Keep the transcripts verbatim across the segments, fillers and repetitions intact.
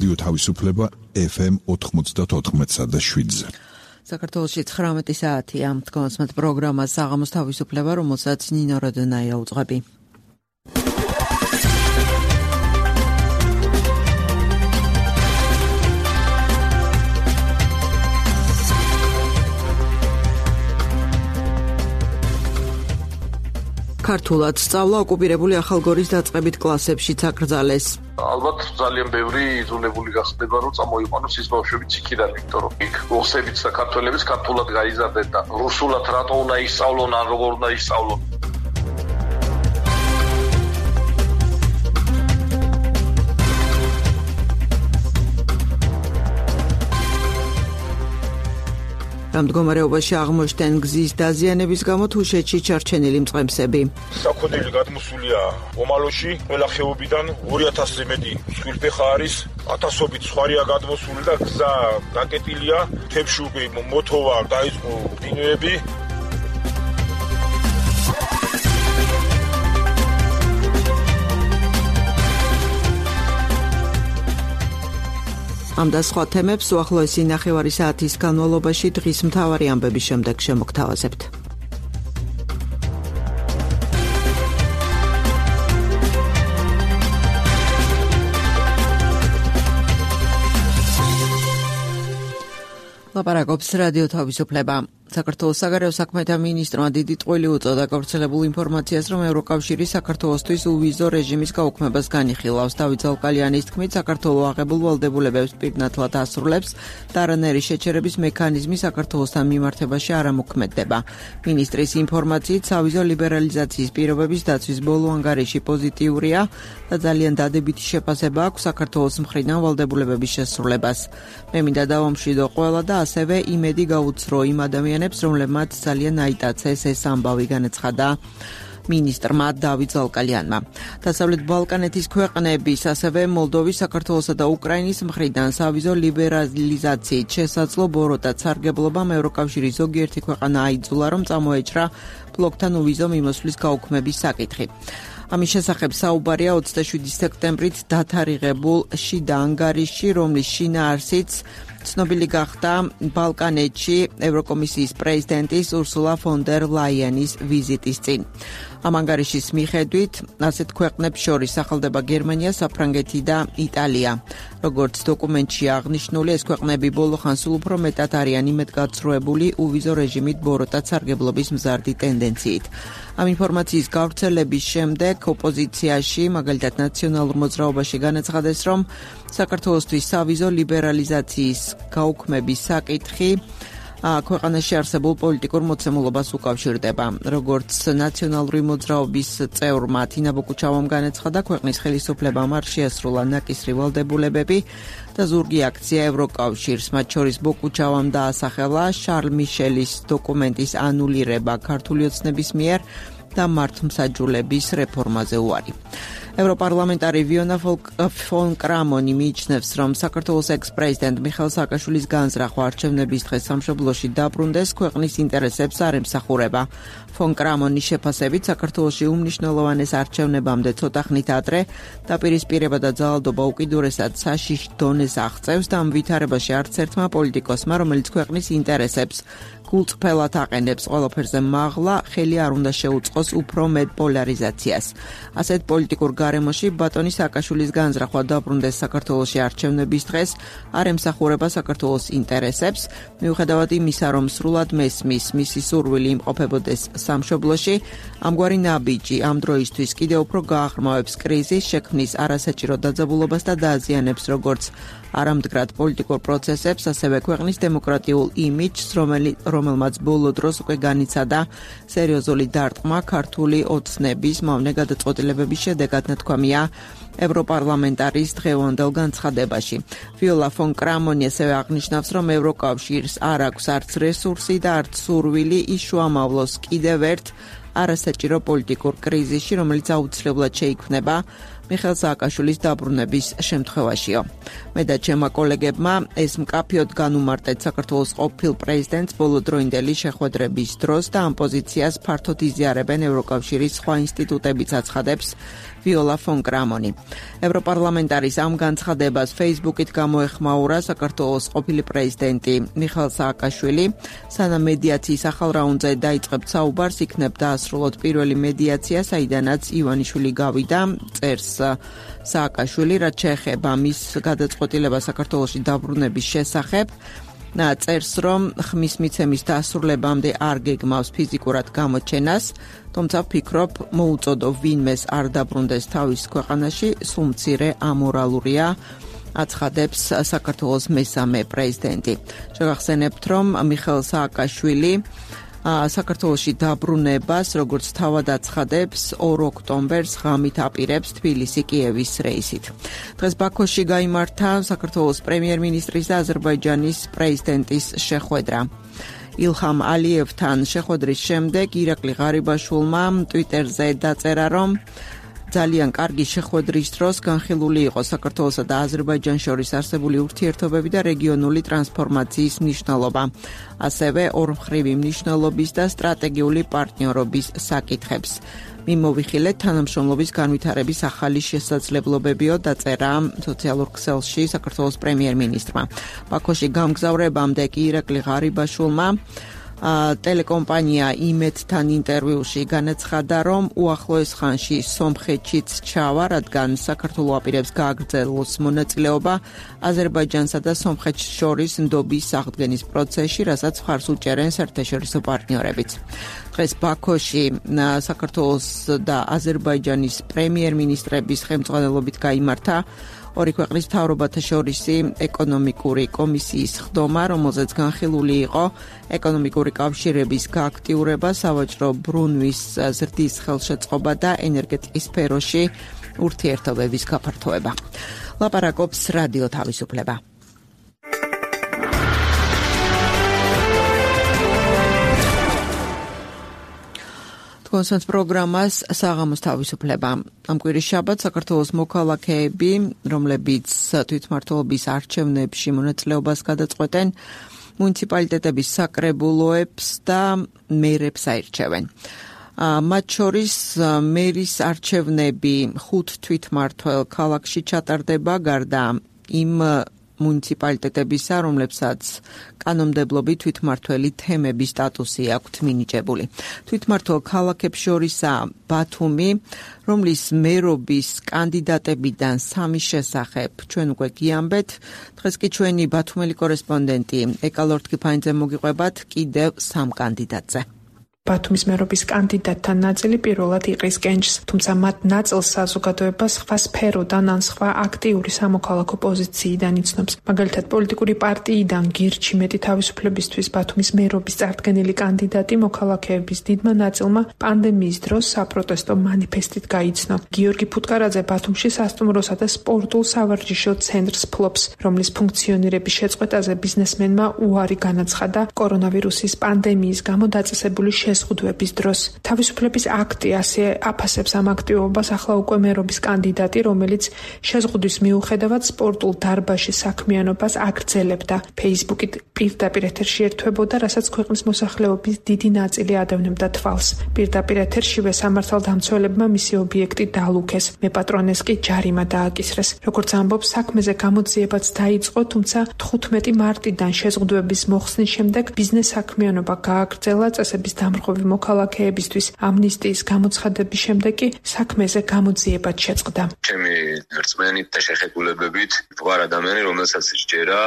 რადიო თავისუფლება ეფ ემ ოთხმოცდაოთხ და შვიდზე. საქართველოში ცხრამეტი საათია. თქვენს პროგრამას საღამოს თავისუფლება, რომელსაც ნინო როდონაია უძღვები. ქართულად სწავლა ოკუპირებული ახალგორის დაწყებით კლასებშიც აკრძალეს. ალბათ ძალიან ბევრი იძულებული გახდება, რომ წამოიყვანოს ის ბავშვებიც იქიდან, იმიტომ რომ იქ რუსებიც და ქართველებიც ქართულად გაიზარდნენ და რუსულად რატო უნდა ისწავლონ, ან როგორ უნდა ისწავლონ. ამ მდგომარეობაში აღმოჩნდნენ გზის დაზიანების გამო თუშეთში ჩარჩენილი მწყემსები. საქონელი გადმოსულია ომალოში, ყველა ხეობიდან ორი ათასზე მეტი მსხვილფეხა არის, ათასობით სხვარია გადმოსული და გზა გაკეტილია, მთებში უკვე მოთოვა დაიწყო დინოები. ამ და სხვა თემებს უახლოესი ნახევარი საათის განმავლობაში დღის მთავარი ამბების შემდეგ შემოგთავაზებთ. ლაპარაკობს რადიო თავისუფლება. საქართველოს საგარეო საქმეთა მინისტრმა დიდი ტყვილი უწოდა გავრცელებულ ინფორმაციას, რომ ევროკავშირი საქართველოსთვის უვიზო რეჟიმის გაუქმებას განიხილავს. დავით ზალკალიანის თქმით, საქართველო აღებულ ვალდებულებებს პირნათლად ასრულებს და არანაირი შეჩერების მექანიზმი საქართველოსთან მიმართებაში არ ამოქმედდება. მინისტრის ინფორმაციით, სავიზო ლიბერალიზაციის პირობების დაცვის ბოლო ანგარიში პოზიტიურია და ძალიან დადებითი შეფასება აქვს საქართველოს მხრიდან ვალდებულებების შესრულებას. მე მინდა დავამშვიდო ყველა და ასევე იმედი გაუცრო იმ ადამიანებს, რომლებმაც ძალიან აიტაცეს ეს ამბავი, განაცხადა მინისტრმა დავით ზალკალიანმა. დასავლეთ ბალკანეთის ქვეყნების, ასევე მოლდოვის, საქართველოსა და უკრაინის მხრიდან სავიზო ლიბერალიზაციით შესაძლო ბოროტად სარგებლობამ ევროკავშირის ზოგიერთი ქვეყანა აიძულა, რომ წამოეჭრა ბლოკთან უვიზო მიმოსვლის გაუქმების საკითხი. ამის შესახებ საუბარია ოცდაშვიდი სექტემბრით დათარიღებულ შიდა ანგარიშში, რომლის შინაარსიც ცნობილი გახდა ბალკანეთში ევროკომისიის პრეზიდენტის ურსულა ფონ დერ ლაიენის ვიზიტის წინ. ამ ანგარიშის მიხედვით ასეთ ქვეყნებს შორის სახელდება გერმანია, საფრანგეთი და იტალია. როგორც დოკუმენტში აღნიშნული, ეს ქვეყნები ბოლო ხანს სულ უფრო მეტად არიან იმედგაცრუებული უვიზო რეჟიმით ბოროტად სარგებლობის მზარდი ტენდენციით. ამ ინფორმაციის გავრცელების შემდეგ ოპოზიციაში, მაგალითად ნაციონალურ მოძრაობაში განაცხადეს, რომ საქართველოსთვის სავიზო ლიბერალიზაციის გაუქმების საკითხი ქვეყანაში არსებულ პოლიტიკურ მოცემულობას უკავშირდება. როგორც ნაციონალური მოძრაობის წევრმა თინა ბოკუჩავამ განაცხადა, ქვეყნის ხელისუფლებამ არ შეასრულა ნაკისრი ვალდებულებები და ზურგი აქცია ევროკავშირს, მათ შორის ბოკუჩავამ დაასახელა შარლ მიშელის დოკუმენტის ანულირება ქართული ოცნების მიერ და მართლმსაჯულების რეფორმაზე უარი. ევროპარლამენტარი ვიონა ფონ კრამონი მიიჩნევს, რომ საქართველოს ექს-პრეზიდენტ მიხეილ სააკაშვილის განზრახვა არჩევნების დღეს სამშობლოში დაბრუნდეს ქვეყნის ინტერესებს არ ემსახურება. ფონ კრამონის შეფასებით, საქართველოში უმნიშვნელოვანეს არჩევნებამდე ცოტა ხნით ადრე დაპირისპირება და ძალადობა უკიდურესად საშიშ დონეს აღწევს და ამ ვითარებაში არც ერთმა პოლიტიკოსმა, რომელიც ქვეყნის ინტერესებს გულწრფელად აყენებს ყველაფერზე მაღლა, ხელი არ უნდა შეუწყოს უფრო მეტ პოლარიზაციას. ასეთ პოლიტიკურ გარემოში ბატონი სააკაშვილის განზრახვა დაბრუნდეს საქართველოში არჩევნების დღეს არ ემსახურება საქართველოს ინტერესებს, მიუხედავად იმისა, რომ სრულად მესმის მისი სურვილი იმყოფებოდეს სამშობლოში, ამგვარი ნაბიჯი ამ დროისთვის კიდევ უფრო გააღრმავებს კრიზის, შექმნის არასაჭირო დაძაბულობას და დააზიანებს როგორც არამდგრად პოლიტიკურ პროცესებს, ასევე ქვეყნის დემოკრატიულ იმიჯს, რომელმაც ბოლო დროს უკვე განიცადა სერიოზული დარტყმა ქართული ოცნების მავნე გადაწყვეტილებების შედეგად, ნათქვამია ევროპარლამენტარის დღევანდელ განცხადებაში. ვიოლა ფონ კრამონი ასევე აღნიშნავს, რომ ევროკავშირს არ აქვს არც რესურსი და არც სურვილი ის შუამავლოს კიდევ ერთ არასაჭირო პოლიტიკურ კრიზისში, რომელიც აუცილებლად შეიქმნება მიხეილ სააკაშვილის დაბრუნების შემთხვევაშიო. მე და ჩემმა კოლეგებმა ეს მკაფიოდ განუმარტეთ საქართველოს ყოფილ პრეზიდენტს ბოლოდროინდელი შეხვედრების დროს და ამ პოზიციას ფართოდ იზიარებენ ევროკავშირის სხვა ინსტიტუტებიც აცხადებს ვიოლა ფონ კრამონი. ევროპარლამენტარის ამ განცხადებას Facebook-ით გამოეხმაურა საქართველოს ყოფილი პრეზიდენტი მიხეილ სააკაშვილი. სანამ მედიაციის ახალ რაუნდზე დაიწყებთ საუბარს, იქნებ დაასრულოთ პირველი მედიაცია, საიდანაც ივანიშვილი გავიდა, წერს სააკაშვილი, რაც შეეხება მის გადაწყვეტილებას საქართველოში დაბრუნების შესახებ. წერს, რომ ხმის მიცემის დასრულებამდე არ გეგმავს ფიზიკურად გამოჩენას, თუმცა ვფიქრობ, მოუწოდო ვინმეს არ დაბრუნდეს თავის ქვეყანაში, სულ მცირე ამორალურია, აცხადებს საქართველოს მესამე პრეზიდენტი. შეგახსენებთ, რომ მიხეილ სააკაშვილი საქართველოში დაბრუნებას, როგორც თავად აცხადებს, ორ ოქტომბერს ღამით აპირებს თბილისი-კიევის რეისით. დღეს ბაქოში გაიმართა საქართველოს პრემიერ-მინისტრის და აზერბაიჯანის პრეზიდენტის შეხვედრა. ილჰამ ალიევთან შეხვედრის შემდეგ ირაკლი ღარიბაშვილმა ტვიტერზე დაწერა, რომ ძალიან კარგი შეხვედრის დროს განხილული იყო საქართველოსა და აზერბაიჯანს შორის არსებული ურთიერთობები და რეგიონული ტრანსფორმაციის მნიშვნელობა, ასევე ორმხრივი მნიშვნელობის და სტრატეგიული პარტნიორობის საკითხებს. მიმოვიხილეთ თანამშრომლობის განვითარების ახალი შესაძლებლობებიო, დაწერა სოციალურ ქსელში საქართველოს პრემიერ-მინისტრმა. ბაქოში გამგზავრებამდე კი ირაკლი ღარიბაშვილმა ტელეკომპანია იმედთან ინტერვიუში განაცხადა, რომ უახლოეს ხანში სომხეთშიც ჩავა, რადგან საქართველო აპირებს გააგრძელოს მონაწილეობა აზერბაიჯანსა და სომხეთს შორის ნდობის აღდგენის პროცესში, რასაც მხარს უჭერენ საერთაშორისო პარტნიორებიც. დღეს ბაქოში საქართველოს და აზერბაიჯანის პრემიერ-მინისტრების ხელმძღვანელობით გაიმართა ორი ქვეყნის მთავრობათა შორისი ეკონომიკური კომისიის ხდომა, რომელზეც განხილული იყო ეკონომიკური კავშირების გააქტიურება, სავაჭრო ბრუნვის ზრდის ხელშეწყობა და ენერგეტიკის სფეროში ურთიერთობების გაფართოება. ლაპარაკობს რადიო თავისუფლება. კონსენს პროგრამას საღამოს თავისუფლება. ამ კვირის შაბათს საქართველოს მოქალაქეები, რომლებიც თვითმმართველობის არჩევნებში მონაწილეობას გადაწყვეტენ, მუნიციპალიტეტების საკრებულოებს და მერებს აირჩევენ. მათ შორის მერის არჩევნები ხუთ თვითმმართველ ქალაქში ჩატარდება, გარდა იმ მუნიციპალიტეტებისა, რომლებსაც კანონმდებლობით თვითმმართველი თემების სტატუსი აქვთ მინიჭებული. თვითმმართველ ქალაქებს შორისაა ბათუმი, რომლის მერობის კანდიდატებიდან სამის შესახებ ჩვენ უკვე გიამბეთ. დღეს კი ჩვენი ბათუმელი კორესპონდენტი ეკალორ თქიფანიძე მოგიყვებათ კიდევ სამ კანდიდატზე. ბათუმის მერობის კანდიდატთა ნაწილი პირველად იყრის კენჭს, თუმცა მათ ნაწილს საზოგადოება სხვა სფეროდან ან სხვა აქტიური სამოქალაქო პოზიციიდან იცნობს. მაგალითად, პოლიტიკური პარტიიდან გირჩი მეტი თავისუფლებისთვის ბათუმის მერობის წარდგენილი კანდიდატი მოქალაქეების დიდმა ნაწილმა პანდემიის დროს საპროტესტო მანიფესტით გაიცნო. გიორგი ფუტკარაძე ბათუმში სასტუმროსა და სპორტულ სავარჯიშო ცენტრს ფლობს, რომლის ფუნქციონირების შეწყვეტაზე ბიზნესმენმა უარი განაცხადა კორონავირუსის პანდემიის გამო დაწესებული შეზღუდვების დროს. თავისუფლების აქტი ასე აფასებს ამ აქტივობას ახლა უკვე მერობის კანდიდატი, რომელიც შეზღუდვის მიუხედავად სპორტულ დარბაზში საქმიანობას აგრძელებდა. Facebook-ით პირდაპირ ეთერში ერთვებოდა, რასაც ქვეყნის მოსახლეობის დიდი ნაწილი ადევნებდა თვალს. პირდაპირ ეთერშივე სამართალდამცველებმა მისი ობიექტი დაალუქეს, მეპატრონეს კი ჯარიმა დააკისრეს. როგორც ამბობს, საქმეზე გამოძიებაც დაიწყო, თუმცა თხუთმეტი მარტიდან შეზღუდვების მოხსნის შემდეგ ბიზნეს საქმიანობა გააგრძელა წესების დამრღვევი მოქალაქეებისთვის. ამნისტიის გამოცხადების შემდეგ კი საქმეზე გამოძიებაც შეწყდა. ჩემი რწმენით და შეხებულებებით ვარ ადამიანი, რომელსაც სჯერა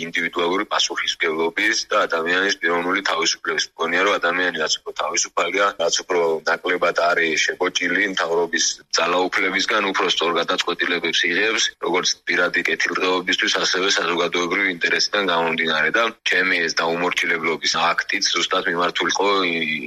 ინდივიდუალური პასუხისმგებლობის და ადამიანის პიროვნული თავისუფლების. მგონია, რომ ადამიანი რაც უფრო თავისუფალია, რაც უფრო ნაკლებად არის შეკოჭილი მთავრობის ძალაუფლებისგან, უფრო სწორ გადაწყვეტილებებს იღებს, როგორც პირადი კეთილდღეობისთვის, ასევე საზოგადოებრივი ინტერესიდან გამომდინარე და ჩემი ეს დაუმორჩილებლობის აქტიც ზუსტად მიმართული იყო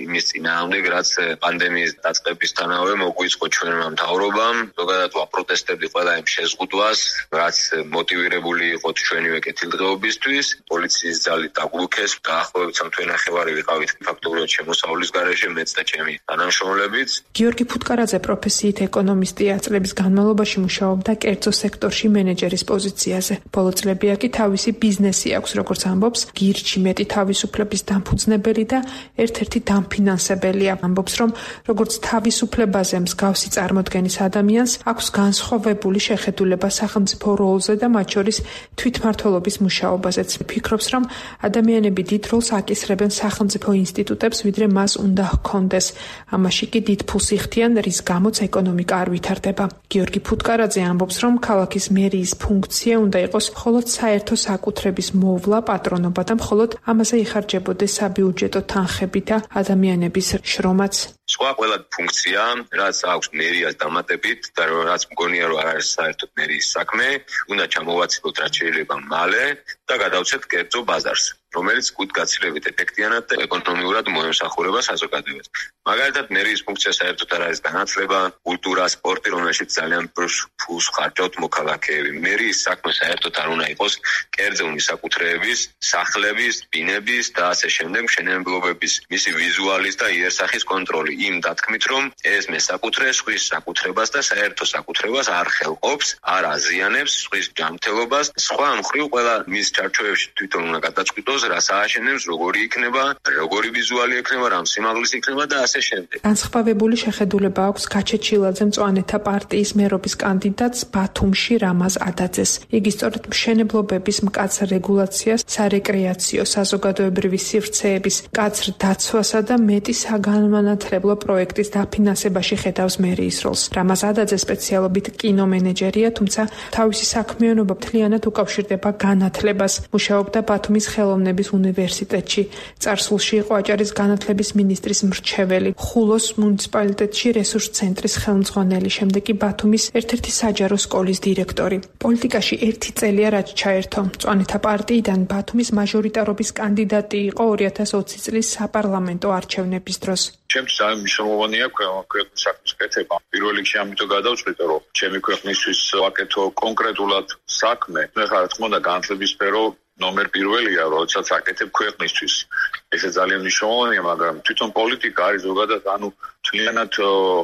იმის წინააღმდეგ, რაც პანდემიის დაწყებისთანავე მოგვიწყო ჩვენმა მთავრობამ. ზოგადად ვაპროტესტებდი ყველა იმ შეზღუდვას, რაც მოტივირებული იყო ჩვენივე კეთილდღეობისთვის. პოლიციის ძალით დაგლუქეს, დაახლოებით სამთვე ნახევარი ვიყავით ფაქტობრივად შემოსავლის გარეშე, მეც და ჩემი თანამშრომლებიც. გიორგი ფუტკარაძე პროფესიით ეკონომისტია, წლების განმავლობაში მუშაობდა კერძო სექტორში მენეჯერის პოზიციაზე. ბოლო წლებია კი თავისი ბიზნესი აქვს, როგორც ამბობს, გირჩი მეტი თავისუფლების დამფუძნებელი და ერთ-ერთი დამფინანსებელია. ამბობს, რომ როგორც თავისუფლებაზე მსგავსი წარმოდგენის ადამიანს აქვს განსხვავებული შეხედულება სახელმწიფო როლზე და მათ შორის თვითმმართველობის მუშაობაზეც. ფიქრობს, რომ ადამიანები დიდ როლს აკისრებენ სახელმწიფო ინსტიტუტებს, ვიდრე მას უნდა ჰქონდეს. ამაში კი დიდ ფულს იხდიან, რის გამოც ეკონომიკა არ ვითარდება. გიორგი ფუტკარაძე ამბობს, რომ ქალაქის მერიის ფუნქცია უნდა იყოს მხოლოდ საერთო საკუთრების მოვლა, პატრონობა და მხოლოდ ამაზე იხარჯებოდეს საბიუჯეტო თანხები და ადამიანების შრომაც. სხვა ყველა ფუნქცია, რაც აქვს მერიას დამატებით და რაც მგონია, რომ არ არის საერთოდ მერიის საქმე, უნდა ჩამოვაცილოთ რაც შეიძლება მალე და გადავცეთ კერძო ბაზარს, რომელიც კუთხგაცილებით ეფექტიანად და ეკონომიურად მოემსახურება საზოგადოებას. მაგალითად, მერიის ფუნქცია საერთოდ არ არის განათლება, კულტურა, სპორტი, რომელშიც ძალიან ფულს ხარჯავთ მოქალაქეები. მერიის საქმე საერთოდ არ უნდა იყოს კერძო მისაკუთრეების, სახლების, ბინების და ასე შემდეგ მშენებლობების, მისი ვიზუალის და იერსახის კონტროლი. იმ დათქმით, რომ ეს მესაკუთრე სხვის საკუთრებას და საერთო საკუთრებას არ ხელყოფს, არ აზიანებს სხვის ჯანმრთელობას. სხვა მხრივ ყველა მის ჩარჩოებში თვითონ უნდა გადაწყვიტოს, რას ააშენებს, როგორი იქნება, როგორი ვიზუალი იქნება, რამ სიმაღლის იქნება და ასე შემდეგ. განსხვავებული შეხედულება აქვს გაჩეჩილაძე მწვანეთა პარტიის მერობის კანდიდატს ბათუმში რამაზ ადაძეს. იგი სწორედ მშენებლობების მკაცრ რეგულაციას, სარეკრეაციო, საზოგადოებრივი სივრცეების მკაცრ დაცვასა და მეტი საგანმანათლებლო პროექტის დაფინანსებაში ხედავს მერიის როლს. რამაზ ადაძე სპეციალობით კინომენეჯერია, თუმცა თავისი საქმიანობა მთლიანად უკავშირდება განათლებას. მუშაობდა ბათუმის ხელოვნების უნივერსიტეტში. წარსულში იყო აჭარის განათლების მინისტრის მრჩეველი, ხულოს მუნიციპალიტეტში რესურს ცენტრის ხელმძღვანელი, შემდეგ კი ბათუმის ერთ-ერთი საჯარო სკოლის დირექტორი. პოლიტიკაში ერთი წელია რაც ჩაერთო. მწვანეთა პარტიიდან ბათუმის მაჟორიტარობის კანდიდატი იყო ორი ათას ოცი წლის საპარლამენტო არჩევნების დროს. ჩემთვის ძალიან მნიშვნელოვანია ქვეყნის საქმის კეთება. პირველ რიგში ამიტომ გადავწყვიტე, რომ ჩემი ქვეყნისთვის ვაკეთო კონკრეტულად საქმე. ეხლა რა თქმა უნდა განათლების სფერო ნომერ პირველია, როდესაც აკეთებ ქვეყნისთვის. ესე ძალიან მნიშვნელოვანია, მაგრამ თვითონ პოლიტიკა არის ზოგადად, ანუ თლიანად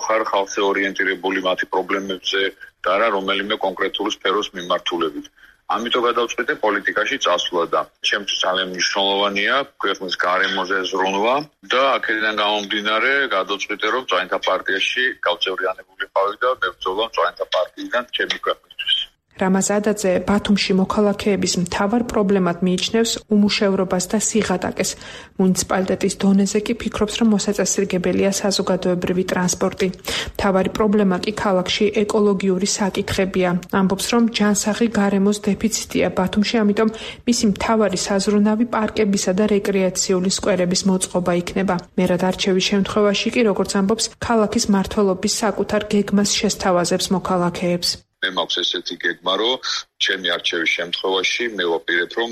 ხარ ხალხზე ორიენტირებული მათი პრობლემებზე და არა რომელიმე კონკრეტული სფეროს მიმართულებით. ამიტომ გადავწყვიტე პოლიტიკაში წასვლა და ჩემთვის ძალიან მნიშვნელოვანია ქვეყნის გარემოზე ზრუნვა და აქედან გამომდინარე გადავწყვიტე, რომ მწვანეთა პარტიაში გავწევრიანებული ვიყავი და მებრძოლა მწვანეთა პარტიიდან ჩემი ქვეყნისთვის. რამაზ ადაძე ბათუმში მოქალაქეების მთავარ პრობლემად მიიჩნევს უმუშევრობას და სიღატაკეს. მუნიციპალიტეტის დონეზე კი ფიქრობს, რომ მოსაწესრიგებელია საზოგადოებრივი ტრანსპორტი. მთავარი პრობლემა კი ქალაქში ეკოლოგიური საკითხებია. ამბობს, რომ ჯანსაღი გარემოს დეფიციტია ბათუმში, ამიტომ მისი მთავარი საზრუნავი პარკებისა და რეკრეაციული სკვერების მოწყობა იქნება. მერად არჩევის შემთხვევაში კი, როგორც ამბობს, ქალაქის მმართველობის საკუთარ გეგმას შესთავაზებს მოქალაქეებს. მე მაქვს ესეთი გეგმა, რომ ჩემი არჩევის შემთხვევაში მე ვაპირებ, რომ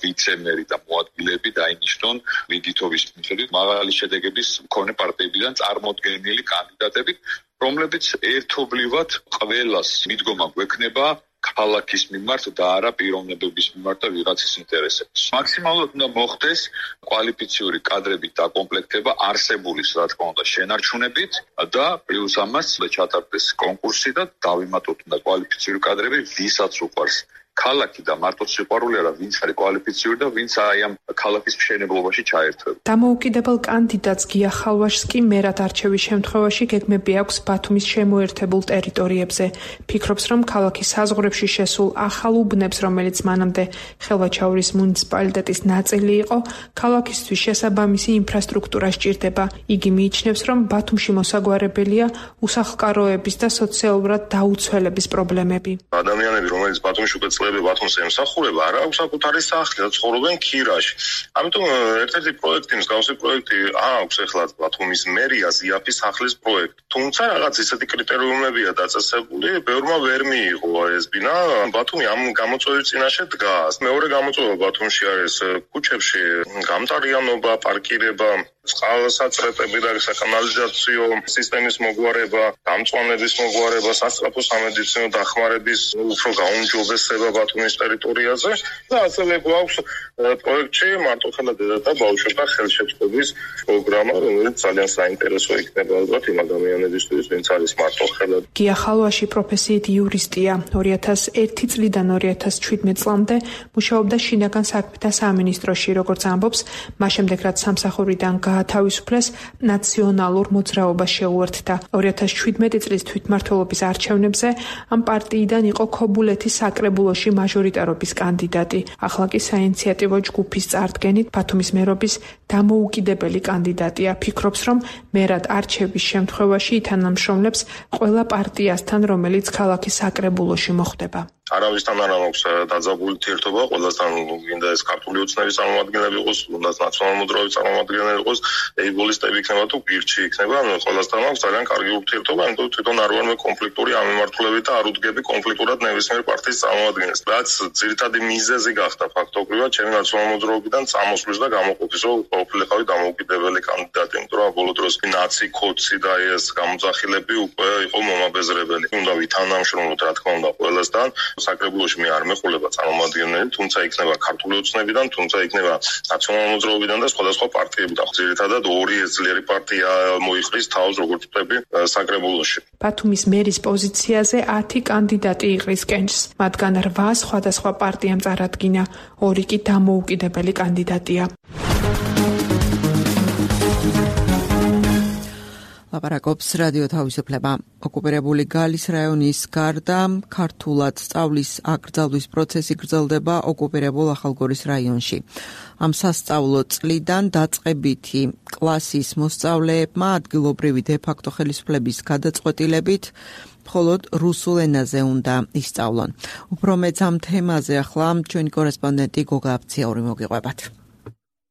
ვიცე-მერი და მოადგილეები დაინიშნონ მიგითობის მიხედვით მაღალი შედეგების მქონე პარტიებიდან წარმოდგენილი კანდიდატები, რომლებიც ერთობლივად ყველას მიდგომა გვექნება ქალაქის მიმართ და არა პიროვნებების მიმართ და ვიღაცის ინტერესებს. მაქსიმალურად უნდა მოხდეს კვალიფიციური კადრებით დაკომპლექტება არსებულის, რა თქმა უნდა, შენარჩუნებით და პლუს ამას ჩატარდეს კონკურსი და დავიმატოთ უნდა კვალიფიციური კადრები, ვისაც უყვარს ქალაქი და მარტო სიყვარული არა, ვინც არის კვალიფიციური და ვინც აი ამ ქალაქის მშენებლობაში ჩაერთვება. დამოუკიდებელ კანდიდატს გია ხალვაშს კი მერად არჩევის შემთხვევაში გეგმები აქვს ბათუმის შემოერთებულ ტერიტორიებზე. ფიქრობს, რომ ქალაქის საზღვრებში შესულ ახალ უბნებს, რომელიც მანამდე ხელვაჩაურის მუნიციპალიტეტის ნაწილი იყო, ქალაქისთვის შესაბამისი ინფრასტრუქტურა სჭირდება. იგი მიიჩნევს, რომ ბათუმში მოსაგვარებელია უსახლკაროების და სოციალურად დაუცველების პრობლემები. ადამიანები, რომელიც ბათუმში უკვე ბათუმს ემსახურება, არ აქვს საკუთარი სახლი და ცხოვრობენ ქირაში. ამიტომ ერთ-ერთი პროექტი, მსგავსი პროექტი აქვს ეხლა ბათუმის მერიას იაფის სახლის პროექტი. თუმცა რაღაც ისეთი კრიტერიუმებია დაწესებული, ბევრმა ვერ მიიღო ეს ბინა. ბათუმი ამ გამოწვევის წინაშე დგას. მეორე გამოწვევა ბათუმში არის ქუჩებში გამტარიანობა, პარკირება. წყალსაცრეთები და საკანალიზაციო სისტემის მოგვარება, დამწვანების მოგვარება, სასწრაფო სამედიცინო დახმარების უფრო გაუმჯობესება ბათუმის ტერიტორიაზე და ასევე გვაქვს პროექტში მარტოხელა დედათა ბავშვთა ხელშეწყობის პროგრამა, რომელიც ძალიან საინტერესო იქნება ალბათ იმ ადამიანებისთვის, ვინც არის მარტოხელა. გია ხალვაში პროფესიით იურისტია. ორი ათას ერთი წლიდან ორი ათას ჩვიდმეტ წლამდე მუშაობდა შინაგან საქმეთა სამინისტროში, როგორც ამბობს, მას შემდეგ რაც სამსახურიდან გაათავისუფლეს, ნაციონალურ მოძრაობას შეუერთდა. ორი ათას ჩვიდმეტი წლის თვითმმართველობის არჩევნებზე ამ პარტიიდან იყო ქობულეთის საკრებულოში მაჟორიტარობის კანდიდატი. ახლა კი საინიციატივო ჯგუფის წარდგენით ბათუმის მერობის დამოუკიდებელი კანდიდატია. ფიქრობს, რომ მერად არჩევის შემთხვევაში ითანამშრომლებს ყველა პარტიასთან, რომელიც ქალაქის საკრებულოში მოხვდება. არავისთან არ აქვს დაძაბული ურთიერთობა, ყველასთან გინდა ეს ქართული ოცნების წარმომადგენლები იყოს, უნდა ნაციონალური მოძრაობის წარმომადგენლები იყოს, ეიბოლისტები იქნება თუ გირჩი იქნება, ყველასთან აქვს ძალიან კარგი ურთიერთობა, ამიტომ თვითონ არ ვარ მე კონფლიქტური ამემართულებით და არ უდგები კონფლიქტურად ნებისმიერ პარტიის წარმომადგენელს. რაც ძირითადი მიზეზი გახდა ფაქტობრივად ჩემი ნაციონალური მოძრაობიდან წამოსვლის და გამოყოფის, რომ ყოფილიყავი დამოუკიდებელი კანდიდატი, იმიტომ რომ ბოლო დროს ნაცი, ქოცი და ეს გამოძახილები უკვე იყო მომაბეზრებელი. უნდა ვითანამშრომლოთ რა თქმა უნდა ყველასთან. საკრებულოში მე არ მეყოლება წარმომადგენლები, თუმცა იქნება ქართული ოცნებიდან, თუმცა იქნება ნაციონალური მოძრაობიდან და სხვადასხვა პარტიებიდან. ძირითადად ორი ძლიერი პარტია მოიხრის თავს როგორც ვთქვი საკრებულოში. ბათუმის მერის პოზიციაზე ათი კანდიდატი იყრის კენჭს, მათგან რვა სხვადასხვა პარტიამ წარადგინა, ორი კი დამოუკიდებელი კანდიდატია. ლაპარაკობს რადიო თავისუფლება. ოკუპირებული გალის რაიონის გარდა ქართულად სწავლის აკრძალვის პროცესი გრძელდება ოკუპირებულ ახალგორის რაიონში. ამ სასწავლო წლიდან დაწყებითი კლასის მოსწავლეებმა ადგილობრივი დე-ფაქტო ხელისუფლების გადაწყვეტილებით მხოლოდ რუსულ ენაზე უნდა ისწავლონ. უფრო მეც ამ თემაზე ახლა ჩვენი კორესპონდენტი გოგა აბციური მოგიყვებათ.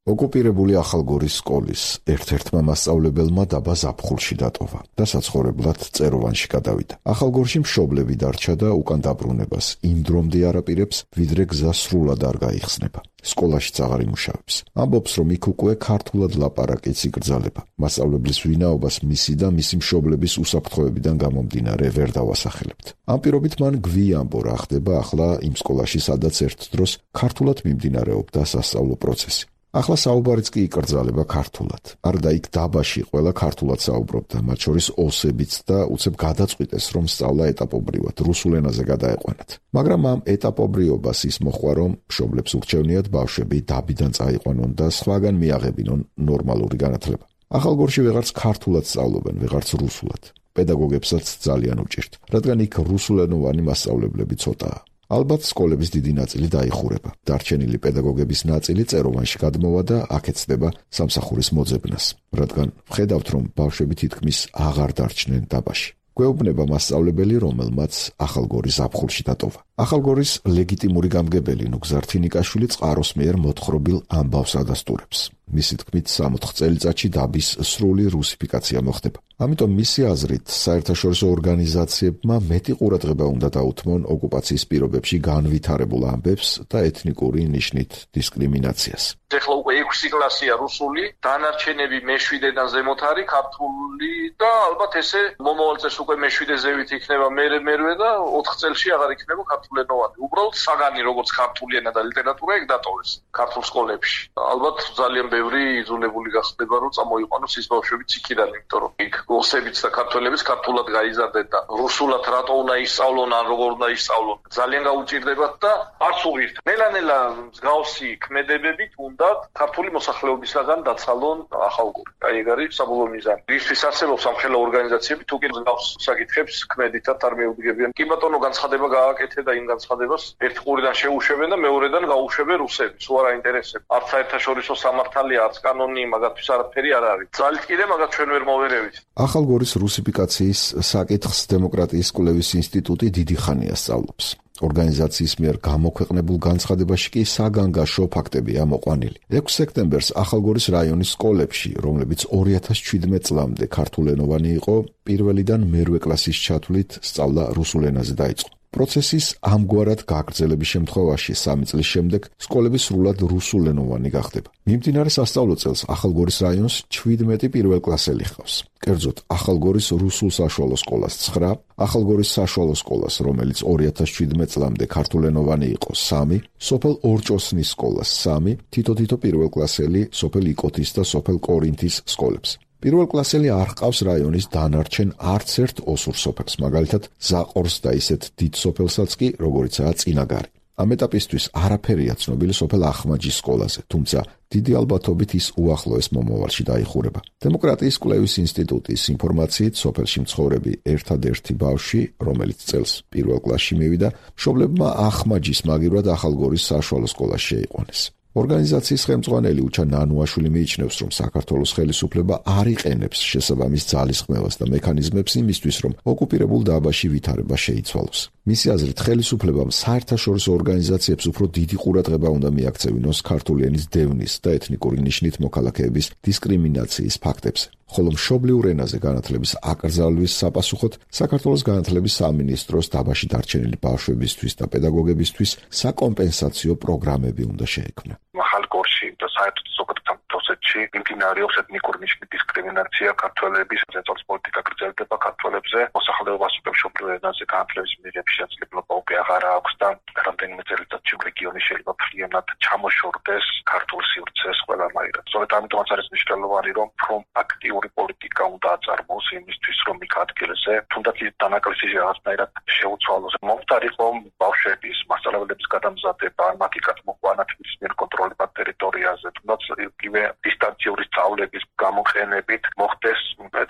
ოკუპირებული ახალგორის სკოლის ერთ-ერთმა მასწავლებელმა დაბა ზაფხულში დატოვა და საცხოვრებლად წეროვანში გადავიდა. ახალგორში მშობლები დარჩა და უკან დაბრუნებას იმ დრომდე არაპირებს, ვიდრე გზა სრულად არ გაიხსნება. სკოლაშიც აღარ იმუშავებს. ამბობს, რომ იქ უკვე ქართულად ლაპარაკიც იკრძალება. მასწავლებლის ვინაობას მისი და მისი მშობლების უსაფრთხოებიდან გამომდინარე ვერ დავასახელებთ. ამ პირობით მან გვიამბო რა ხდება ახლა იმ სკოლაში, სადაც ერთ დროს ქართულად მიმდინარეობდა სასწავლო პროცესი. ახლა საუბარიც კი იკრძალება ქართულად. არდა იქ დაბაში ყველა ქართულად საუბრობდა, მათ შორის ოსებიც და უცებ გადაწყვიტეს, რომ სწავლა ეტაპობრივად რუსულ ენაზე გადაეყვანათ. მაგრამ ამ ეტაპობრიობას ის მოხდა, რომ მშობლებს ურჩევნიათ ბავშვები დაბიდან წაიყვანონ და სხვაგან მიაღებინონ ნორმალური განათლება. ახალგორში ვეღარც ქართულად სწავლობენ, ვეღარც რუსულად. პედაგოგებსაც ძალიან უჭირთ, რადგან იქ რუსულენოვანი მასწავლებლები ცოტაა. ალბათ სკოლების დიდი ნაწილი დაიხურება. დარჩენილი პედაგოგების ნაწილი წეროვანში გადმოვა და აქ ეცდება სამსახურის მოძებნას, რადგან ვხედავთ, რომ ბავშვები თითქმის აღარ დარჩნენ დაბაში. გვეუბნება მასწავლებელი, რომელმაც ახალგორის ზაფხულში დატოვა. ახალგორის ლეგიტიმური გამგებელი ნუგზარ თინიკაშვილი წყაროს მიერ მოთხრობილ ამბავს ადასტურებს. მისი თქმით, სამოთხ წელიწადში დაბის სრული რუსიფიკაცია მოხდება. ამიტომ მისი აზრით, საერთაშორისო ორგანიზაციებმა მეტი ყურადღება უნდა დაუთმონ ოკუპაციის პირობებში განვითარებულ ამბებს და ეთნიკური ნიშნით დისკრიმინაციას. ეხლა უკვე ექვსი კლასია რუსული, დანარჩენები მეშვიდედან ზემოთ არის ქართული და ალბათ ესე მომავალ წელს უკვე მეშვიდე ზევით იქნება მერე მერვე და ოთხ წელში აღარ იქნება ქართულენოვანი. უბრალოდ საგანი როგორც ქართული ენა და ლიტერატურა ეგ დატოვეს ქართულ სკოლებში. ალბათ ძალიან ბევრი იძულებული გახდება რომ წამოიყვანოს ის ბავშვებიც იქიდან, იმიტომ რომ იქ ოსებიც და ქართველებიც ქართულად გაიზარდნენ და რუსულად რატო უნდა ისწავლონ, ან როგორ უნდა ისწავლონ. ძალიან გაუჭირდებათ და არც უღირთ. ნელა-ნელა მსგავსი ქმედებებით უნდა ქართული მოსახლეობისგან დაცალონ ახალგორი. აი ეგ არის საბოლოო მიზანი. ისთვის არსებობს სამხელო ორგანიზაციები, თუ კი მსგავს საკითხებს ქმედითად არ მეუდგებიან. კი ბატონო, განცხადება გააკეთე და იმ განცხადებას ერთ ყურიდან შეუშვებენ და მეორედან გაუშვებენ რუსები. სულ არ აინტერესებს. არც საერთაშორისო სამართალია, არც კანონი, მაგათთვის არაფერი არ არის. ძალით კიდე მაგათ ჩვენ ვერ მოვერევით. ახალგორის რუსიფიკაციის საკითხს დემოკრატიის კვლევის ინსტიტუტი დიდი ხანია სწავლობს. ორგანიზაციის მიერ გამოქვეყნებულ განცხადებაში კი საგანგაშო ფაქტებია მოყვანილი. ექვსი სექტემბერს ახალგორის რაიონის სკოლებში, რომლებიც ორი ათას ჩვიდმეტ წლამდე ქართულენოვანი იყო, პირველიდან მერვე კლასის ჩათვლით სწავლა რუსულ ენაზე დაიწყო. პროცესის ამგვარად გაგრძელების შემთხვევაში სამი წლის შემდეგ სკოლები სრულად რუსულენოვანი გახდება. მიმდინარე სასწავლო წელს ახალგორის რაიონს ჩვიდმეტი პირველკლასელი ჰყავს. კერძოდ, ახალგორის რუსულ საშუალო სკოლას ცხრა, ახალგორის საშუალო სკოლას, რომელიც ორი ათას შვიდმეტ წლამდე ქართულენოვანი იყო, სამი, სოფელ ორჭოსნის სკოლას სამი, თითო-თითო პირველკლასელი სოფელ იკოთის და სოფელ კორინთის სკოლებს. პირველკლასელი არ ჰყავს რაიონის დანარჩენ არც ერთ ოსურ სოფელს, მაგალითად ზაყორს და ისეთ დიდ სოფელსაც კი, როგორიცაა წინაგარი. ამ ეტაპისთვის არაფერია ცნობილი სოფელ ახმაჯის სკოლაზე, თუმცა დიდი ალბათობით ის უახლოეს მომავალში დაიხურება. დემოკრატიის კვლევის ინსტიტუტის ინფორმაციით, სოფელში მცხოვრები ერთადერთი ბავშვი, რომელიც წელს პირველ კლასში მივიდა, მშობლებმა ახმაჯის მაგივრად ახალგორის საშუალო სკოლაში შეიყვანეს. ორგანიზაციის ხელმძღვანელი უჩა ნანუაშვილი მიიჩნევს, რომ საქართველოს ხელისუფლება არ იყენებს შესაბამის ძალისხმევას და მექანიზმებს იმისთვის, რომ ოკუპირებულ დაბაში ვითარება შეიცვალოს. მისი აზრით, ხელისუფლებამ საერთაშორისო ორგანიზაციებს უფრო დიდი ყურადღება უნდა მიაქცევინოს ქართული ენის დევნის და ეთნიკური ნიშნით მოქალაქეების დისკრიმინაციის ფაქტებზე. ხოლო მშობლიურ ენაზე განათლების აკრძალვის sapasუხოდ საქართველოს განათლების სამინისტროს დაბაში დარჩენილი ბავშვებისთვის და პედაგოგებისთვის საკომპენსაციო პროგრამები უნდა შეექმნა. ახალგორში და საერთოდ ზოგადად რუსეთში მიმდინარეობს ეთნიკური ნიშნის დისკრიმინაცია ქართველების ზეწოლის პოლიტიკა გრძელდება ქართველებზე მოსახლეობას უკვე მშობლიურ ენაზე განათლების მიღების შესაძლებლობა უკვე აღარ აქვს და რამდენიმე წელიწადში რეგიონი შეიძლება ფრიანად ჩამოშორდეს ქართულ სივრცეს ყველანაირად. სწორედ ამიტომაც არის მნიშვნელოვანი, რომ რომ აქტიური პოლიტიკა უნდა აწარმოოს იმისთვის, რომ იქ ადგილზე თუნდაც ის დანაკლისი რაღაცნაირად შეუცვალოს. მომხდარი იყო ბავშვების მასწავლებლების გადამზადება, მათი გადმოყვანა თვითონ მიერ კონტროლებად ტერიტორიაზე, თუნდაც იგივე დისტანციური სწავლების გამოყენებით მოხდეს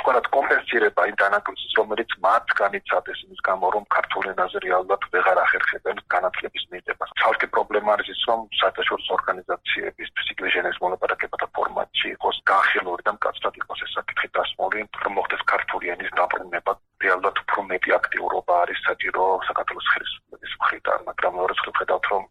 თქვათ კომპენსირება იმ დანაკლისის, რომელიც მათ განიცადეს იმის გამო, რომ ქართულ ენაზე რეალურად ვეღარ ახერხებენ განათლების მიღებას. ცალკე პრობლემა არის ის, რომ საერთაშორისო ორგანიზაციებისთვის იგივე ჟენევის მოლაპარაკებათა ფორმატში იყოს განხილული და მკაცრად იყოს ეს საკითხი დასმული, რომ მოხდეს ქართული ენის დაბრუნება. რეალურად უფრო მეტი აქტიურობა არის საჭირო საქართველოს ხელისუფლების მხრიდან, მაგრამ მეორე მხრივ ხედავთ, რომ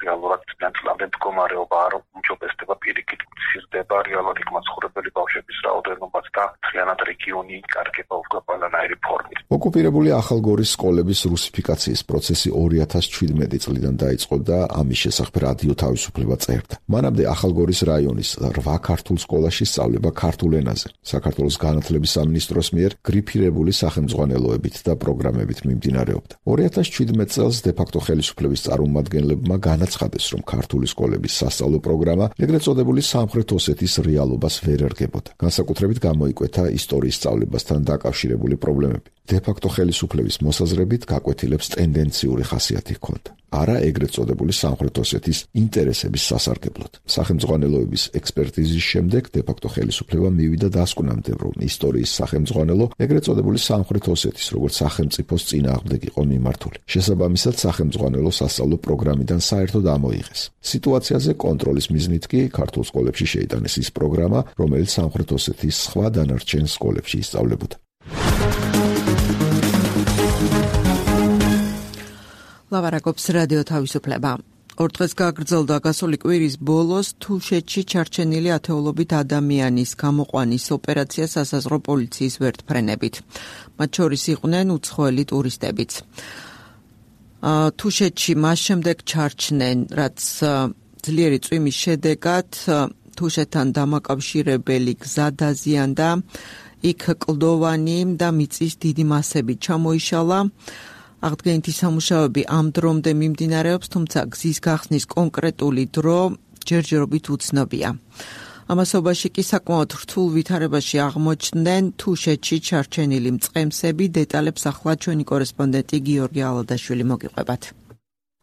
რეალურად ნამდვილად მდგომარეობა არ უმჯობესდება, პირიქით მცირდება რეალურად იქ მაცხოვრებელი ბავშვების რაოდენობაც და მთლიანად რეგიონი იკარგება უკვე ყველანაირი ფორმით. ოკუპირებული ახალგორის სკოლების რუსიფიკაციის პროცესი ორი ათას შვიდმეტი წლიდან დაიწყო და ამის შესახებ რადიო თავისუფლება წერდა. მანამდე ახალგორის რაიონის რვა ქართულ სკოლაში სწავლება ქართულ ენაზე, საქართველოს განათლების სამინისტროს მიერ გრიფირებული სახელმძღვანელოებით და პროგრამებით მიმდინარეობდა. ორი ათას შვიდმეტ წელს დე-ფაქტო ხელისუფლების წარმომადგენლებმა განაცხადეს, რომ ქართული სკოლების სასწავლო პროგრამა ეგრეთ წოდებული სამხრეთ ოსეთის რეალობას ვერ ერგებოდა. განსაკუთრებით გამოიკვეთა ისტორიის სწავლებასთან დაკავშირებული პრობლემები. დე-ფაქტო ხელისუფლების მოსაზრებით გაკვეთილებს ტენდენციური ხასიათი ჰქონდა. არა ეგრეთ წოდებული სამხრეთ ოსეთის ინტერესების სასარგებლოდ. სახელმძღვანელოების ექსპერტიზის შემდეგ დე-ფაქტო ხელისუფლება მივიდა დასკვნამდე, რომ ისტორიის სახელმძღვანელო ეგრეთ წოდებული სამხრეთ ოსეთის როგორც სახელმწიფოს წინააღმდეგ იყო მიმართული. შესაბამისად, სახელმძღვანელო სასწავლო პროგრამიდან საერთოდ ამოიღეს. სიტუაციაზე კონტროლის მიზნით კი ქართულ სკოლებში შეიტანეს ის პროგრამა, რომელიც სამხრეთ ოსეთის სხვა დანარჩენ სკოლებში ისწავლებოდა. ლავარაკობს რადიო თავისუფლება. ორ დღეს გაგრძელდა გასული კვირის ბოლოს თუშეთში ჩარჩენილი ათეულობით ადამიანის გამოყვანის ოპერაცია სასაზღვრო პოლიციის ვერტფრენებით. მათ შორის იყვნენ უცხოელი ტურისტებიც. თუშეთში მას შემდეგ ჩარჩნენ, რაც ძლიერი წვიმის შედეგად თუშეთთან დამაკავშირებელი გზა დაზიანდა, იქ კლდოვანი და მიწის დიდი მასები ჩამოიშალა. აღდგენითი სამუშაოები ამ დრომდე მიმდინარეობს, თუმცა გზის გახსნის კონკრეტული დრო ჯერჯერობით უცნობია. ამასობაში კი საკმაოდ რთულ ვითარებაში აღმოჩნდნენ თუშეთში ჩარჩენილი მწყემსები. დეტალებს ახლა ჩვენი კორესპონდენტი გიორგი ალადაშვილი მოგიყვებათ.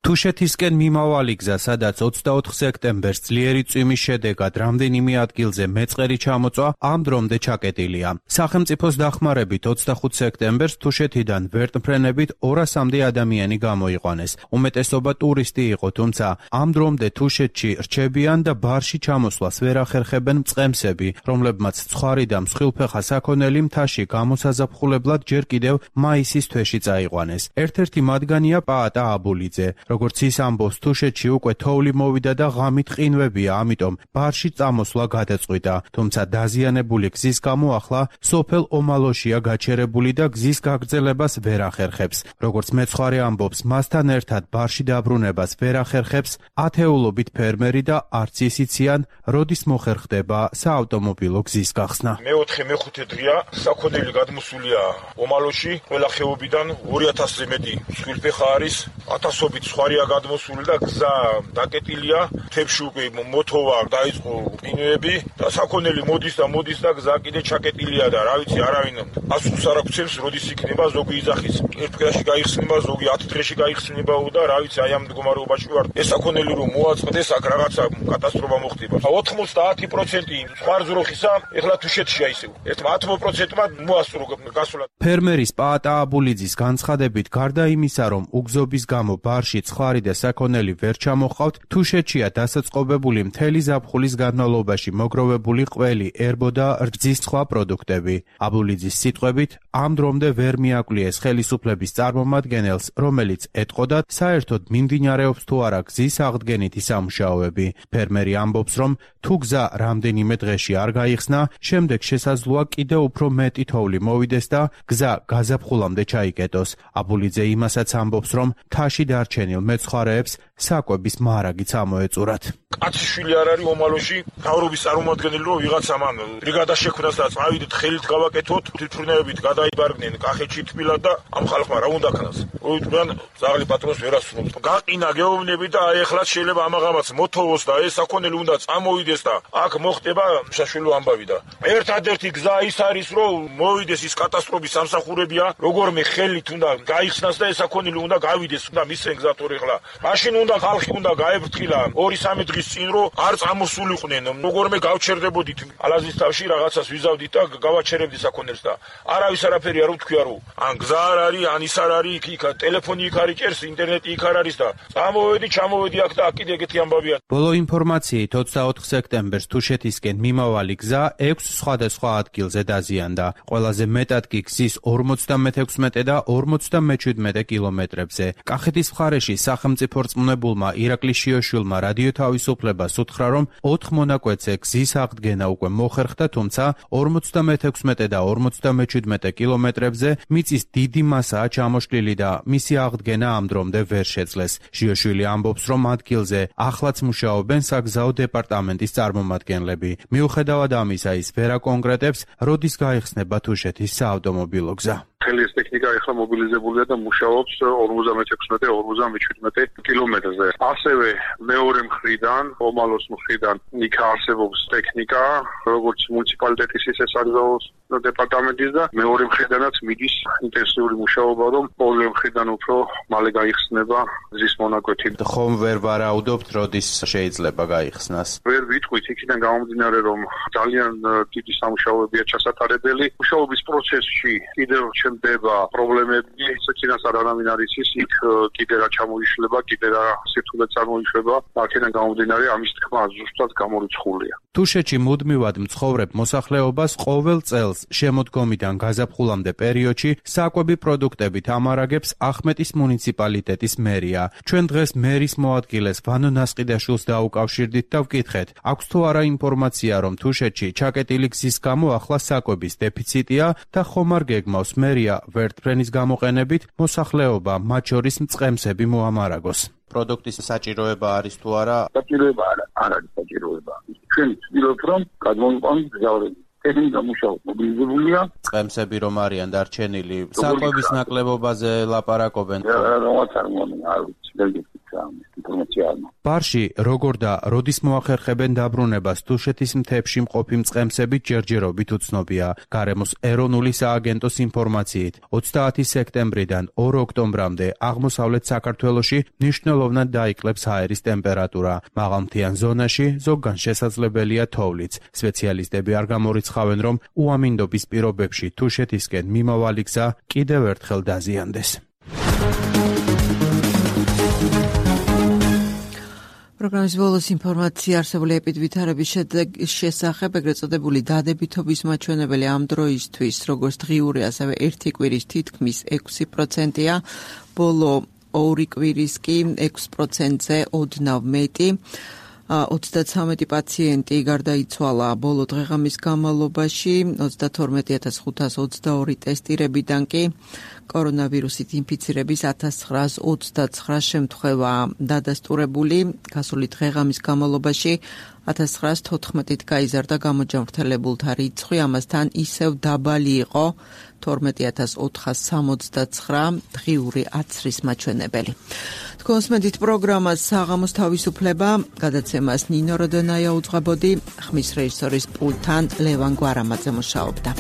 თუშეთისკენ მიმავალი გზა, სადაც ოცდაოთხ სექტემბერს ძლიერი წვიმის შედეგად რამდენიმე ადგილზე მეწყერი ჩამოწვა, ამ დრომდე ჩაკეტილია. სახელმწიფოს დახმარებით ოცდახუთ სექტემბერს თუშეთიდან ვერტმფრენებით ორასამდე ადამიანი გამოიყვანეს. უმეტესობა ტურისტი იყო, თუმცა ამ დრომდე თუშეთში რჩებიან და ბარში ჩამოსვლას ვერ ახერხებენ მწყემსები, რომლებმაც ცხარი და მსხვილფეხა საქონელი მთაში გამოსაზაფხულებლად ჯერ კიდევ მაისის თვეში წაიყვანეს. ერთ-ერთი მათგანია პაატა აბულიძე, როგორც ის ამბობს, თუშეთში უკვე თოვლი მოვიდა და ღამით ყინვებია, ამიტომ ბარში წამოსვლა გადაწყვიტა. თუმცა დაზიანებული გზის გამო ახლა სოფელ ომალოშია გაჩერებული და გზის გაგრძელებას ვერ ახერხებს. როგორც მეცხვარე ამბობს, მასთან ერთად ბარში დაბრუნებას ვერ ახერხებს ათეულობით ფერმერი და არც ის იციან, როდის მოხერხდება საავტომობილო გზის გახსნა. მეოთხე მეხუთე დღეა საქონელი გადმოსულია ომალოში, ყველა ხეობიდან ორი ათასზე მეტი სულფეხა არის, ათასობით სხვარია გადმოსული და გზა დაკეტილია, თებში უკვე მოთოვა დაიწყო ყინვები და საქონელი მოდის და მოდის და გზა კიდე ჩაკეტილია და რა ვიცი, არავინ პასუხს არ აქვს, როდის იქნება, ზოგი იძახის ერთ დღეში გაიხსნება, ზოგი ათი დღეში გაიხსნება და რა ვიცი, აი ამ მდგომარეობაში ვარ. ეს საქონელი რომ მოაწყდეს, აქ რაღაცა კატასტროფა მოხდება. ოცდაათი პროცენტი სხვა ზროხისა ეხლა თუშეთშია ისევ. ერთ ათი პროცენტმა მოასწრო გასულა. ფერმერის პაატა აბულიძის განცხადებით, გარდა იმისა, რომ უგზობის გამო ბარში ცხარი და საქონელი ვერ ჩამოჰყავთ, თუშეთშია დასაწყობებული მთელი ზაფხულის განმავლობაში მოგროვებული ყველი, ერბო და რძის სხვა პროდუქტები. აბულიძის სიტყვებით, ამ დრომდე ვერ მიაკვლიეს ხელისუფლების წარმომადგენელს, რომელიც ეტყოდა, საერთოდ მიმდინარეობს თუ არა გზის აღდგენითი სამუშაოები. ფერმერი ამბობს, რომ თუ გზა რამდენიმე დღეში არ გაიხსნა, შემდეგ შესაძლოა კიდევ უფრო მეტი თოვლი მოვიდეს და გზა გაზაფხულამდე ჩაიკეტოს. აბულიძე იმასაც ამბობს, რომ მთაში დარჩენილ მეცხვარეებს საკვების მაარაგიც ამოეწურათ. კაციშვილი არ არის ომალოში, მთავრობის წარმომადგენელი რომ ვიღაცა მან ბრიგადა შექმნას და წავიდეთ ხელით გავაკეთოთ, თვითმფრინავებით გადაიბარგნენ კახეთში თბილად და ამ ხალხმა რა უნდა ქნას. ოიტყვიან ზაღლი პატრონს ვერ ასრულებს. გაყინა გეუბნები და აი ეხლა შეიძლება ამაღამაც მოთოვოს და ეს საქონელი უნდა წამოვიდეს და აქ მოხდება შაშველო ამბავი და ერთადერთი გზა ის არის რომ მოვიდეს ის კატასტროფის სამსახურებია, როგორმე ხელით უნდა გაიხსნას და ეს საქონელი უნდა გავიდეს და მისცენ გზა თორე ეხლა. მაშინ უნდა ხალხი უნდა გაეფრთხილა ორი სამი დღის წინ რომ არ წამოსულიყვნენ, როგორმე გავჩერდებოდით ალაზის თავში რაღაცას ვიზავდით და გავაჩერებდით საქონელს და არავის არაფერი არ უთქვია რომ ან გზა არ არის, ან ის არ არის, იქ ტელეფონი იქ არ იჭერს, ინტერნეტი იქ არ არის და წამოვედი, ჩამოვედი აქ და აქ კიდე ეგეთი ამბავია. ბოლო ინფორმაციით ოცდაოთხ სექტემბერს თუშეთისკენ მიმავალი გზა ექვს სხვადასხვა ადგილზე დაზიანდა. ყველაზე მეტად კი გზის ორმოცდამეექვსმეტე და ორმოცდამეჩვიდმეტე კილომეტრებზე. კახეთის მხარეში სახელმწიფო რწმუნებულმა ირაკლი შიოშვილმა რადიო თავისუფლებას უთხრა, რომ ოთხ მონაკვეთზე გზის აღდგენა უკვე მოხერხდა, თუმცა ორმოცდამეექვსმეტე და ორმოცდამეჩვიდმეტე კილომეტრებზე მიწის დიდი მასაა ჩამოშლილი და მისი აღდგენა ამ დრომდე ვერ შეძლეს. შიოშვილი ამბობს, რომ ადგილზე ახლაც მუშაობენ საგზაო დეპარტამენტის წარმომადგენლები. მიუხედავად ამისა, ის ვერ აკონკრეტებს, როდის გაიხსნება თუშეთის საავტომობილო გზა. მთელი ეს ტექნიკა ახლა მობილიზებულია და მუშაობს ორმოცდამეექვსმეტე ორმოცდამეჩვიდმეტე კილომეტრზე. ასევე მეორე მხრიდან, ომალოს მხრიდან იქ არსებობს ტექნიკა, როგორც მუნიციპალიტეტის ისე საგზაო დეპარტამენტის და მეორე მხრიდანაც მიდის ინტენსიური მუშაობა, რომ ორივე მხრიდან უფრო მალე გაიხსნება გზის მონაკვეთი. ხომ ვერ ვარაუდობთ, როდის შეიძლება გაიხსნას? ვერ ვიტყვით, იქიდან გამომდინარე, რომ ძალიან დიდი სამუშაოებია ჩასატარებელი. მუშაობის პროცესში კიდევ ჩნდება პრობლემები, ისეთინას არანაირ არის ის, იქ კიდე რა ჩამოიშლება, კიდე რა სირთულე წარმოიშვება, აქედან გამომდინარე ამის თქმა ზუსტად გამორიცხულია. თუშეთში მუდმივად მცხოვრებ მოსახლეობას ყოველ წელს შემოდგომიდან გაზაფხულამდე პერიოდში საკვები პროდუქტებით ამარაგებს ახმეტის მუნიციპალიტეტის მერია. ჩვენ დღეს მერის მოადგილეს ვანო ნასყიდაშვილს დაუკავშირდით და ვკითხეთ, აქვს თუ არა ინფორმაცია, რომ თუშეთში ჩაკეტილი გზის გამო ახლა საკვების დეფიციტია და ხომ არ გეგმავს მერია ვერტფრენის გამოყენებით მოსახლეობა, მათ შორის მწყემსები მოამარაგოს. პროდუქტის საჭიროება არის თუ არა? საჭიროება არა, არ არის საჭიროება. ჩვენ ვცდილობთ, რომ გადმოვიყვანოთ გზავრები. ტექნიკა მუშაობს, მობილიზებულია. წყემსები რომ არიან დარჩენილი, საკვების ნაკლებობაზე ლაპარაკობენ. რაღაც არ მომანა, არ ვიცი, ვერ გიქცა ინფორმაცია არ მაქვს. ბარში როგორ და როდის მოახერხებენ დაბრუნებას თუშეთის მთებში მყოფი მწყემსები ჯერჯერობით უცნობია. გარემოს ეროვნული სააგენტოს ინფორმაციით, ოცდაათი სექტემბრიდან ორი ოქტომბრამდე აღმოსავლეთ საქართველოში მნიშვნელოვნად დაიკლებს აერის ტემპერატურა. მაღალმთიან ზონაში ზოგან შესაძლებელია თოვლიც. სპეციალისტები არ გამორიცხავენ, რომ უამინდობის პირობებში თუშეთისკენ მიმავალი გზა კიდევ ერთხელ დაზიანდეს. პროგრამის ბოლოს ინფორმაცია არსებული ეპიდვითარების შესახებ, ეგრეთ წოდებული დადებითობის მაჩვენებელი ამ დროისთვის, როგორც დღიური, ასევე ერთი კვირის თითქმის ექვსი პროცენტია. ბოლო ორი კვირის კი ექვს პროცენტზე ოდნავ მეტი. ოცდათვრამეტი პაციენტი გარდაიცვალა ბოლო დღეღამის განმავლობაში, ოცდათორმეტი ათას ხუთას ოცდაორი ტესტირებიდან კი კორონავირუსით ინფიცირების ათას ცხრაას ოცდაცხრა შემთხვევა დადასტურებული. გასული დღეღამის განმავლობაში ათას ცხრაას თოთხმეტით გაიზარდა გამოჯანმრთელებულთა რიცხვი, ამასთან ისევ დაბალი იყო თორმეტი ათას ოთხას სამოცდაცხრა დღიური აცრის მაჩვენებელი. კონსმედით პროგრამას საღამოს თავისუფლება, გადაცემას ნინო როდენაია უძღვებოდი, ხმის რეჟისორის პულტთან ლევან გვარამაძე მუშაობდა.